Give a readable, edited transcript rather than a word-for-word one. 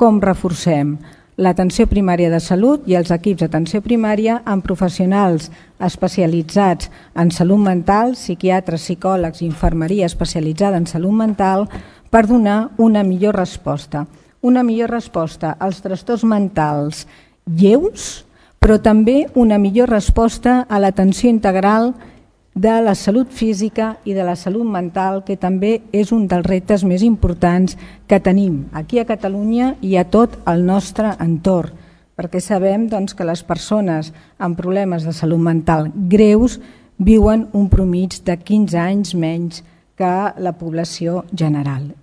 com reforcem l'atenció primària de salut i els equips d'atenció primària amb professionals especialitzats en salut mental, psiquiatres, psicòlegs i infermeria especialitzada en salut mental per donar una millor resposta. Una millor resposta als trastorns mentals lleus, però també una millor resposta a l'atenció integral de la salut física i de la salut mental, que també és un dels reptes més importants que tenim aquí a Catalunya i a tot el nostre entorn, perquè sabem que les persones amb problemes de salut mental greus viuen un mitjà de 15 anys menys que la població general.